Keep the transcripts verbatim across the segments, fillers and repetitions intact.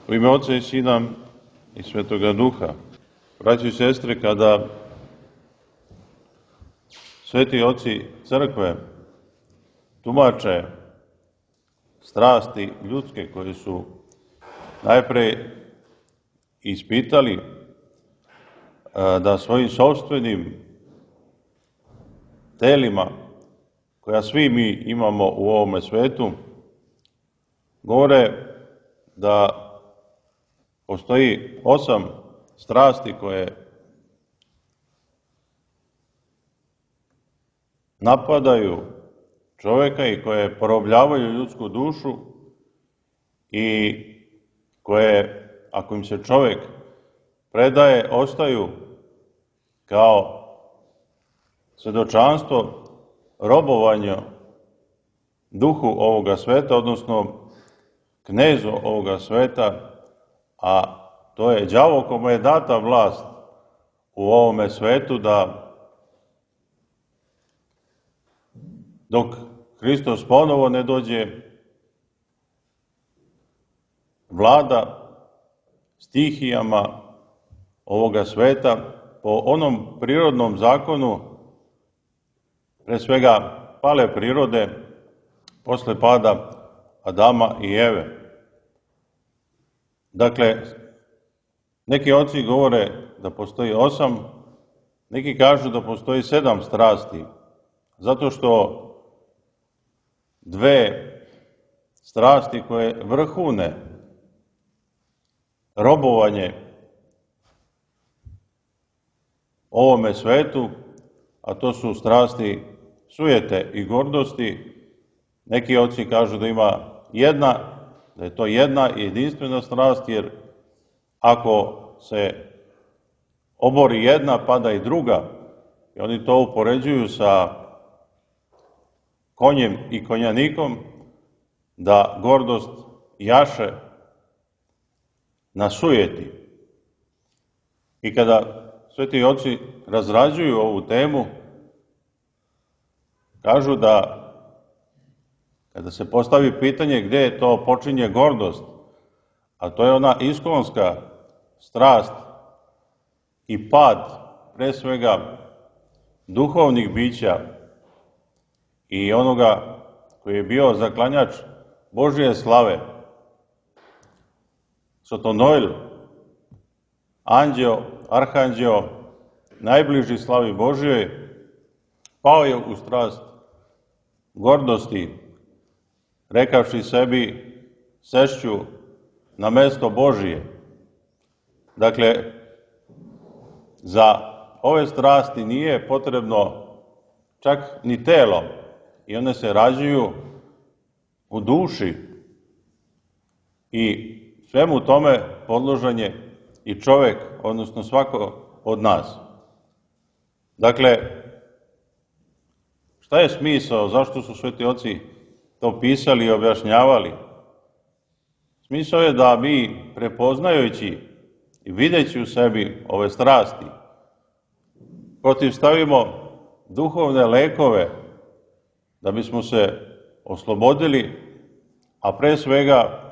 U ime Oca i Sina i Svetoga Duha. Braći i sestre, kada sveti oci crkve tumače strasti ljudske koje su najpre ispitali da svojim sopstvenim telima, koja svi mi imamo u ovome svetu, govore da postoji osam strasti koje napadaju čoveka i koje porobljavaju ljudsku dušu i koje, ako im se čovek predaje, ostaju kao svedočanstvo robovanja duhu ovoga sveta, odnosno knezu ovoga sveta, a to je đavo kome je data vlast u ovome svetu da dok Hristos ponovo ne dođe, vlada stihijama ovoga sveta po onom prirodnom zakonu, pre svega pale prirode, posle pada Adama i Eve. Dakle, neki oci govore da postoji osam, neki kažu da postoji sedam strasti, zato što dve strasti koje vrhune robovanje ovome svetu, a to su strasti sujete i gordosti. Neki oci kažu da ima jedna, da je to jedna jedinstvena strast, jer ako se obori jedna, pada i druga. I oni to upoređuju sa konjem i konjanikom, da gordost jaše na sujeti. I kada sveti oci razrađuju ovu temu, kažu da kada se postavi pitanje gde je to počinje gordost, a to je ona iskonska strast i pad, pre svega, duhovnih bića i onoga koji je bio zaklanjač Božije slave, Sotonoil, anđeo, arhanđeo, najbliži slavi Božijoj, pao je u strast gordosti, rekavši sebi, sešću na mesto Božije. Dakle, za ove strasti nije potrebno čak ni telo, i one se rađuju u duši i svemu tome podložan je i čovek, odnosno svako od nas. Dakle, šta je smisao, zašto su sveti oci to pisali i objašnjavali? Smisao je da mi, prepoznajući i videći u sebi ove strasti, protivstavimo duhovne lekove da bismo se oslobodili, a pre svega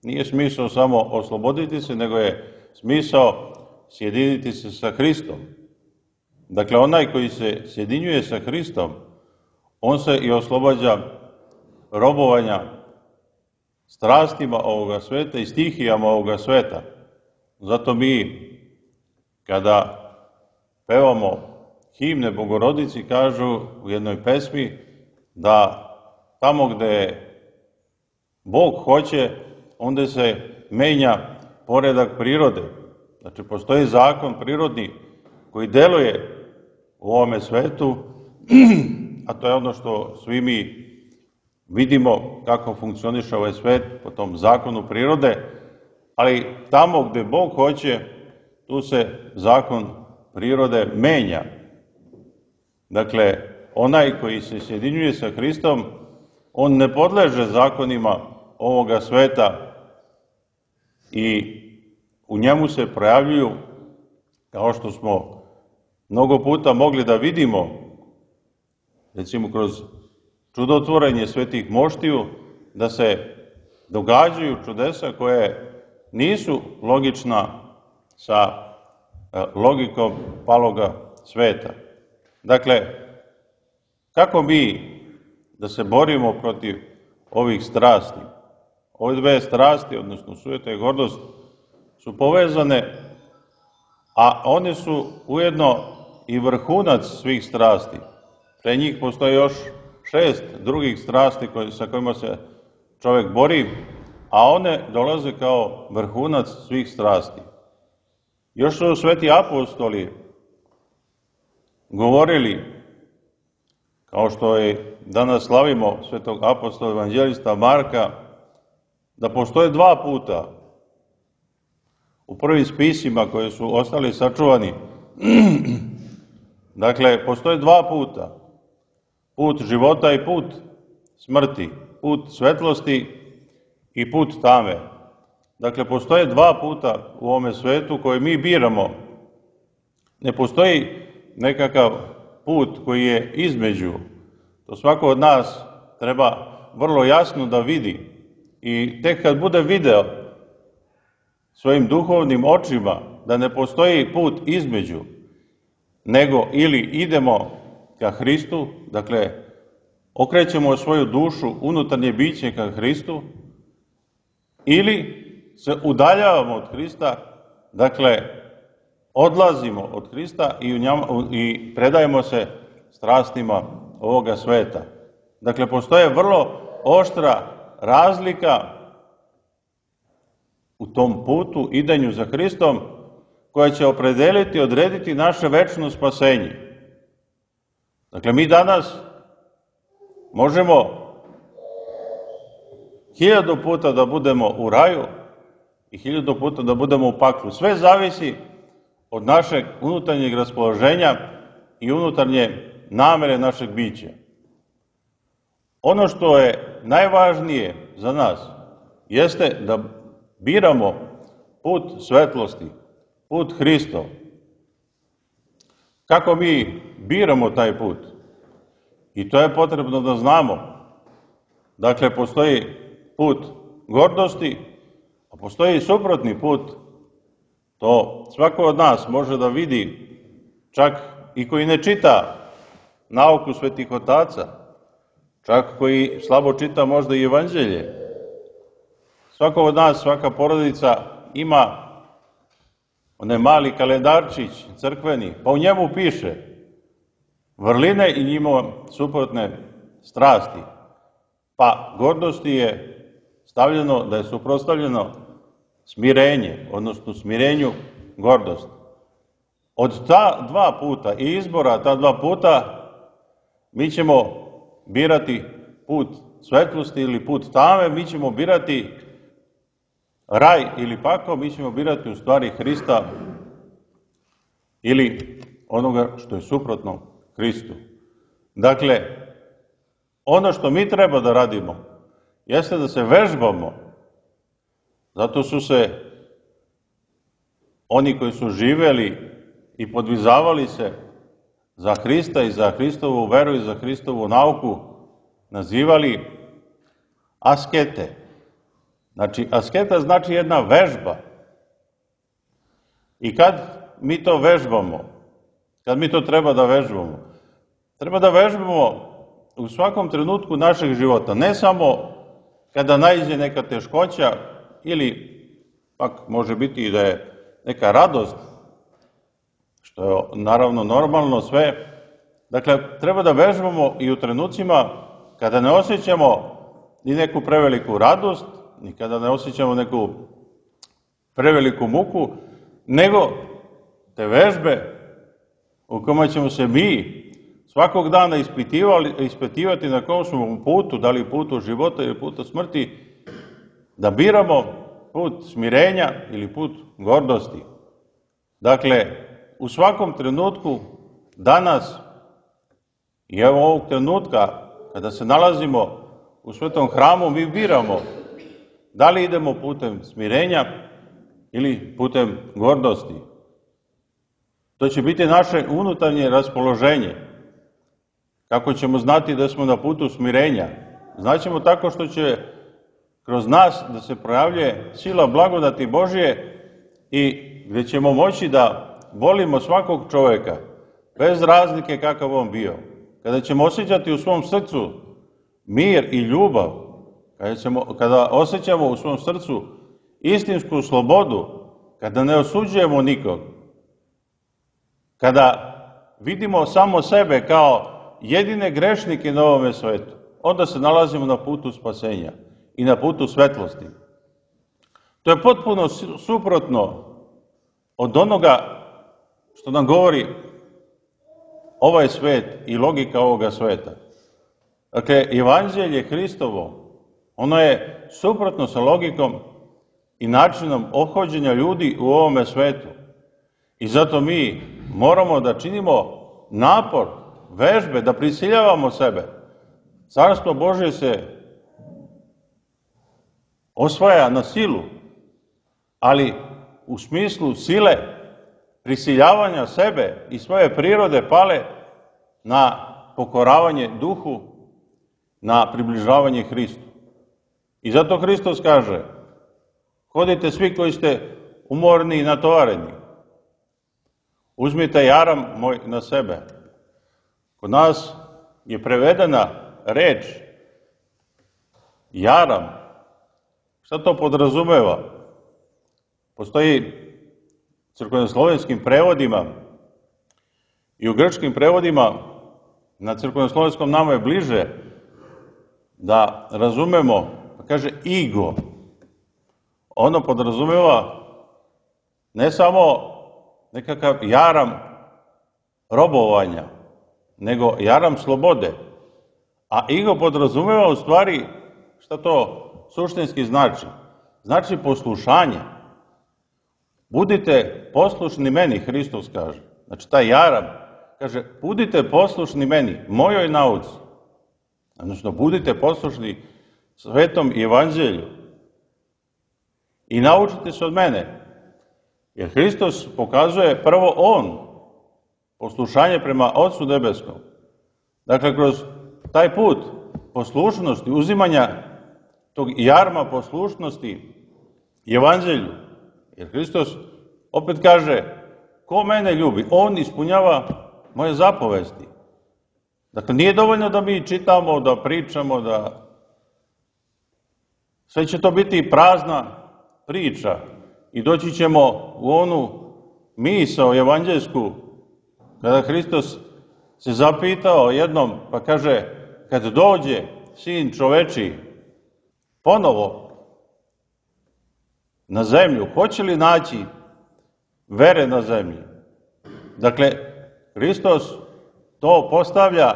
nije smisao samo osloboditi se, nego je smisao sjediniti se sa Hristom. Dakle, onaj koji se sjedinjuje sa Hristom, on se i oslobađa robovanja strastima ovoga sveta i stihijama ovoga sveta. Zato mi, kada pevamo himne Bogorodici, kažu u jednoj pesmi da tamo gde Bog hoće, onda se menja poredak prirode. Znači, postoji zakon prirodni koji deluje u ovome svetu, a to je ono što svi mi vidimo kako funkcioniše ovaj svet po tom zakonu prirode, ali tamo gde Bog hoće, tu se zakon prirode menja. Dakle, onaj koji se sjedinjuje sa Hristom, on ne podleže zakonima ovoga sveta i u njemu se projavljuju, kao što smo mnogo puta mogli da vidimo, recimo kroz čudotvorenje svetih moštiju, da se događaju čudesa koje nisu logična sa logikom paloga sveta. Dakle, kako mi da se borimo protiv ovih strasti? Ove dve strasti, odnosno sujeta i gordost, su povezane, a one su ujedno i vrhunac svih strasti. Pre njih postoje još šest drugih strasti sa kojima se čovek bori, a one dolaze kao vrhunac svih strasti. Još su sveti apostoli govorili, kao što je danas slavimo svetog apostola evanđelista Marka, da postoje dva puta u prvim spisima koji su ostali sačuvani. Dakle, postoje dva puta. Put života i put smrti. Put svetlosti i put tame. Dakle, postoje dva puta u ovome svetu koje mi biramo. Ne postoji nekakav put koji je između. To svako od nas treba vrlo jasno da vidi. I tek kad bude video svojim duhovnim očima da ne postoji put između, nego ili idemo ka Hristu, dakle, okrećemo svoju dušu, unutarnje biće ka Hristu, ili se udaljavamo od Hrista, dakle, odlazimo od Hrista i, u njama, i predajemo se strastima ovoga sveta. Dakle, postoje vrlo oštra razlika u tom putu, idanju za Hristom, koja će opredeliti, odrediti naše večno spasenje. Dakle, mi danas možemo hiljadu puta da budemo u raju i hiljadu puta da budemo u paklu. Sve zavisi od našeg unutarnjeg raspoloženja i unutarnje namere našeg bića. Ono što je najvažnije za nas jeste da biramo put svetlosti, put Hristov. Kako mi biramo taj put? I to je potrebno da znamo. Dakle, postoji put gordosti, a postoji i suprotni put. To svako od nas može da vidi, čak i koji ne čita nauku svetih otaca, čak koji slabo čita možda i evanđelje. Svako od nas, svaka porodica ima onaj mali kalendarčić crkveni, pa u njemu piše vrline i njima suprotne strasti. Pa gordosti je stavljeno da je suprotstavljeno smirenje, odnosno smirenju gordost. Od ta dva puta i izbora ta dva puta mi ćemo birati put svetlosti ili put tame, mi ćemo birati raj ili pakao, mi ćemo birati u stvari Hrista ili onoga što je suprotno Hristu. Dakle, ono što mi treba da radimo jeste da se vežbamo. Zato su se oni koji su živeli i podvizavali se za Hrista i za Hristovu veru i za Hristovu nauku nazivali askete. Znači, asketa znači jedna vežba. I kad mi to vežbamo, kad mi to treba da vežbamo, treba da vežbamo u svakom trenutku našeg života, ne samo kada naiđe neka teškoća ili pak može biti i da je neka radost, što je naravno normalno sve. Dakle, treba da vežbamo i u trenucima kada ne osjećamo ni neku preveliku radost, ni kada ne osjećamo neku preveliku muku, nego te vežbe u kojima ćemo se mi svakog dana ispitivati na kom smo putu, da li putu života ili putu smrti, da biramo put smirenja ili put gordosti. Dakle, u svakom trenutku danas i evo ovog trenutka kada se nalazimo u svetom hramu, mi biramo da li idemo putem smirenja ili putem gordosti. To će biti naše unutarnje raspoloženje. Kako ćemo znati da smo na putu smirenja? Znaćemo tako što će kroz nas da se projavljuje sila blagodati Božje i gdje ćemo moći da volimo svakog čovjeka, bez razlike kakav on bio. Kada ćemo osjećati u svom srcu mir i ljubav, kada, ćemo, kada osjećamo u svom srcu istinsku slobodu, kada ne osuđujemo nikog, kada vidimo samo sebe kao jedine grešnike na ovome svetu, onda se nalazimo na putu spasenja i na putu svetlosti. To je potpuno suprotno od onoga što nam govori ovaj svet i logika ovoga sveta. Dakle, evanđelje Hristovo, ono je suprotno sa logikom i načinom ophođenja ljudi u ovome svetu. I zato mi moramo da činimo napor, vežbe, da prisiljavamo sebe. Carstvo Božje se osvaja na silu, ali u smislu sile prisiljavanja sebe i svoje prirode pale na pokoravanje duhu, na približavanje Hristu. I zato Hristos kaže: hodite svi koji ste umorni i natovareni, uzmite jaram moj na sebe. Kod nas je prevedena reč jaram. Šta to podrazumeva? Postoji crkvenoslovenskim prevodima i u grčkim prevodima, na crkvenoslovenskom nama je bliže da razumemo, pa kaže igo. Ono podrazumeva ne samo nekakav jaram robovanja, nego jaram slobode. A igo podrazumeva u stvari, šta to suštinski znači? Znači poslušanje. Budite poslušni meni, Hristos kaže. Znači taj jaram kaže: budite poslušni meni, mojoj nauci. Odnosno, budite poslušni svetom evanđelju i naučite se od mene. Jer Hristos pokazuje prvo on poslušanje prema Otcu nebeskom. Dakle, kroz taj put poslušnosti, uzimanja tog jarma poslušnosti evanđelju. Jer Hristos opet kaže: ko mene ljubi, on ispunjava moje zapovesti. Dakle, nije dovoljno da mi čitamo, da pričamo, da sve će to biti prazna priča i doći ćemo u onu misao evanđelsku kada Hristos se zapitao jednom, pa kaže: kad dođe Sin čoveči ponovo na zemlju, hoće li naći vere na zemlji? Dakle, Hristos to postavlja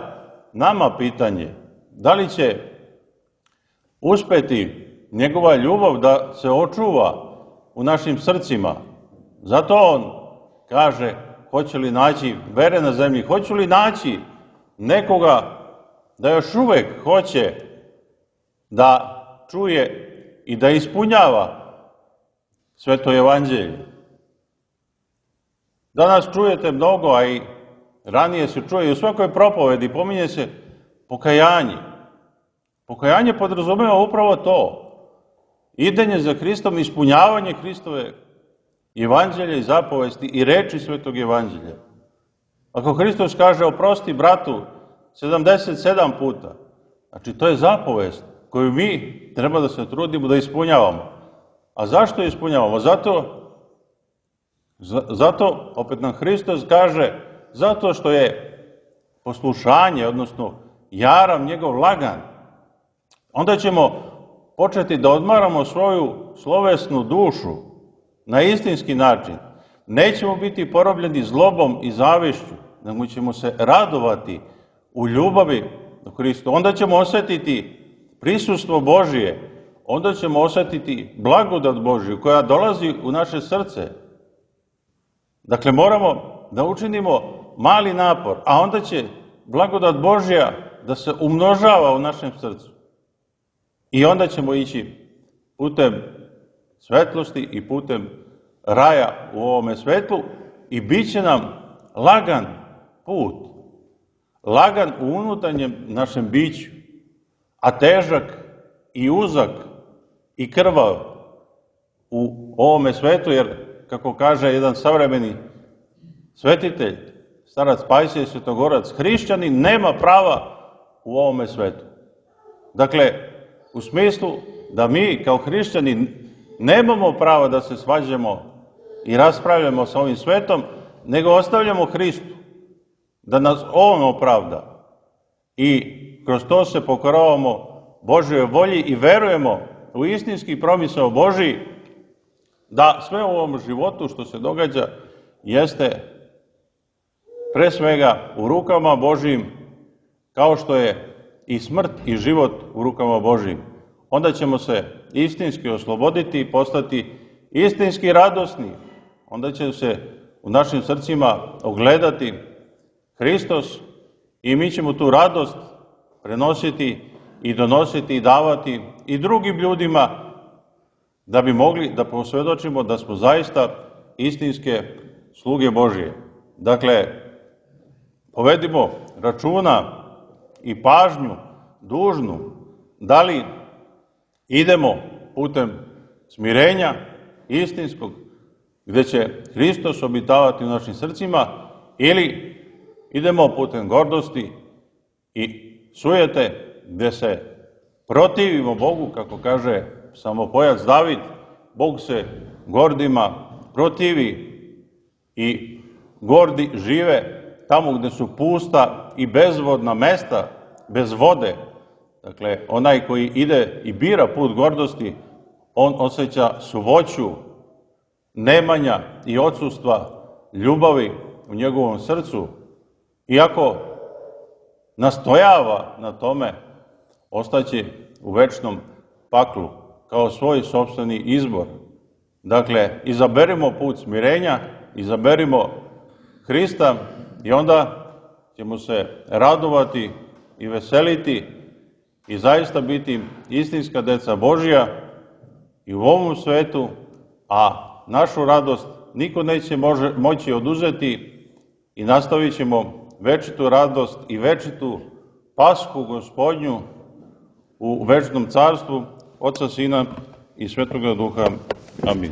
nama pitanje, da li će uspeti njegova ljubav da se očuva u našim srcima. Zato on kaže: hoće li naći vere na zemlji, hoće li naći nekoga da još uvek hoće da čuje i da ispunjava sveto evanđelje. Danas čujete mnogo, a i ranije se čuje i u svakoj propovedi pominje se pokajanje. Pokajanje podrazumeva upravo to. Idenje za Hristom, ispunjavanje Hristove evanđelja i zapovesti i reči svetog evanđelja. Ako Hristos kaže: oprosti bratu sedamdeset sedam puta, znači to je zapovest koju mi treba da se trudimo da ispunjavamo. A zašto ispunjavamo? Zato, zato opet nam Hristos kaže, zato što je poslušanje, odnosno jaram njegov lagan. Onda ćemo početi da odmaramo svoju slovesnu dušu na istinski način. Nećemo biti porobljeni zlobom i zavišću, nego ćemo se radovati u ljubavi do Hristu. Onda ćemo osjetiti prisustvo Božije, onda ćemo osjetiti blagodat Božiju koja dolazi u naše srce. Dakle, moramo da učinimo mali napor, a onda će blagodat Božja da se umnožava u našem srcu. I onda ćemo ići putem svetlosti i putem raja u ovome svetlu i bit će nam lagan put, lagan u unutarnjem našem biću, a težak i uzak i krvav u ovome svetu, jer, kako kaže jedan savremeni svetitelj, starac Pajsije Svetogorac, hrišćanin nema prava u ovome svetu. Dakle, u smislu da mi kao hrišćani nemamo prava da se svađamo i raspravljamo sa ovim svetom, nego ostavljamo Hristu, da nas On opravda. I kroz to se pokoravamo Božjoj volji i verujemo u istinski promisao Božiji, da sve u ovom životu što se događa jeste pre svega u rukama Božijim, kao što je i smrt i život u rukama Božijim. Onda ćemo se istinski osloboditi i postati istinski radosni. Onda će se u našim srcima ogledati Hristos i mi ćemo tu radost prenositi i donositi i davati i drugim ljudima, da bi mogli da posvjedočimo da smo zaista istinske sluge Božije. Dakle, povedimo računa i pažnju dužnu, da li idemo putem smirenja istinskog, gde će Hristos obitavati u našim srcima, ili idemo putem gordosti i sujete, gde se protivimo Bogu, kako kaže psalmopojac David, Bog se gordima protivi i gordi žive tamo gde su pusta i bezvodna mesta, bez vode. Dakle, onaj koji ide i bira put gordosti, on osjeća suvoću, nemanja i odsustva ljubavi u njegovom srcu. Iako nastojava na tome, ostaće u večnom paklu kao svoj sopstveni izbor. Dakle, izaberimo put smirenja, izaberimo Hrista i onda ćemo se radovati i veseliti i zaista biti istinska deca Božja i u ovom svetu, a našu radost niko neće može, moći oduzeti i nastavit ćemo večitu radost i večitu Pashu Gospodnju u večnom carstvu Oca, Sina i Svetoga Duha. Amin.